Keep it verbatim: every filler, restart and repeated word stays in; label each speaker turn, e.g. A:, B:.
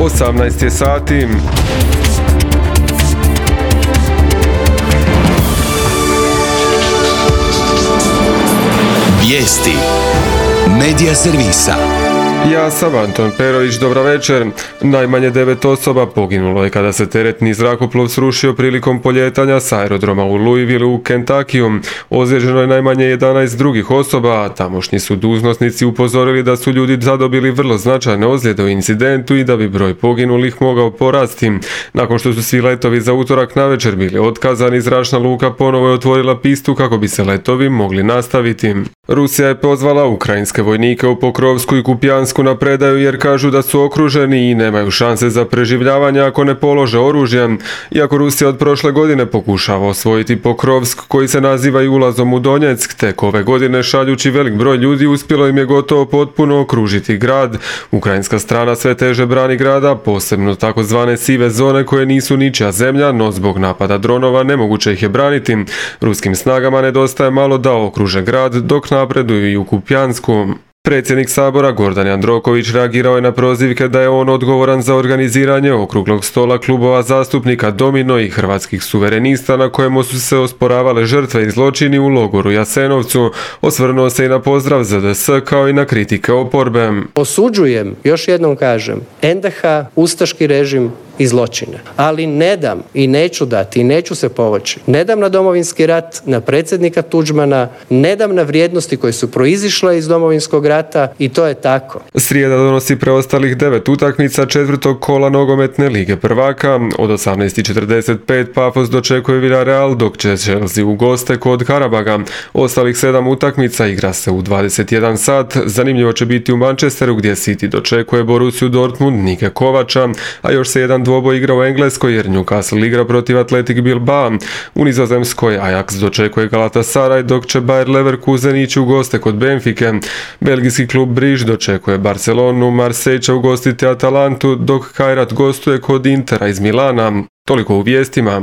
A: osamnaest je sati.
B: Vijesti Medija servisa.
A: Ja sam Anton Perović, dobra večer. Najmanje devet osoba poginulo je kada se teretni zrakoplov srušio prilikom poljetanja s aerodroma u Louisville u Kentuckyu. Ozlijeđeno je najmanje jedanaest drugih osoba, a tamošnji su dužnosnici upozorili da su ljudi zadobili vrlo značajne ozljede u incidentu i da bi broj poginulih mogao porasti. Nakon što su svi letovi za utorak navečer bili otkazani, zračna luka ponovo je otvorila pistu kako bi se letovi mogli nastaviti. Rusija je pozvala ukrajinske vojnike u Pokrovsku i Kupijansku na predaju jer kažu da su okruženi i nemaju šanse za preživljavanje ako ne polože oružje. Iako Rusija od prošle godine pokušava osvojiti Pokrovsk, koji se naziva i ulazom u Donjeck, tek ove godine šaljući velik broj ljudi uspjelo im je gotovo potpuno okružiti grad. Ukrajinska strana sve teže brani grada, posebno takozvane sive zone koje nisu ničija zemlja, no zbog napada dronova nemoguće ih je braniti. Ruskim snagama nedostaje malo da okruže grad dok napreduju i u Kupijansku. Predsjednik Sabora Gordan Jandroković reagirao je na prozivke da je on odgovoran za organiziranje okruglog stola klubova zastupnika Domino i Hrvatskih suverenista na kojemu su se osporavale žrtve i zločini u logoru Jasenovcu. Osvrnuo se i na pozdrav Z D S kao i na kritike oporbe.
C: Osuđujem, još jednom kažem, N D H, ustaški režim i zločine. Ali ne dam i neću dati i neću se povući. Ne dam na Domovinski rat, na predsjednika Tuđmana, ne dam na vrijednosti koje su proizišle iz Domovinskog rata i to je tako.
A: Srijeda donosi preostalih devet utakmica četvrtog kola nogometne lige prvaka. Od osamnaest i četrdeset pet Pafos dočekuje Villarreal, dok će Chelsea u goste kod Karabaga. Ostalih sedam utakmica igra se u dvadeset jedan sat. Zanimljivo će biti u Manchesteru gdje City dočekuje Borussiju Dortmund Nike Kovača, a još se jedan dvoboj igra u Engleskoj jer Newcastle igra protiv Athletic Bilbao. U Nizozemskoj Ajax dočekuje Galatasaray, dok će Bayer Leverkusen ići u goste kod Benfike. Belgijski klub Briž dočekuje Barcelonu, Marseille će ugostiti Atalantu, dok Kairat gostuje kod Intera iz Milana. Toliko u vijestima.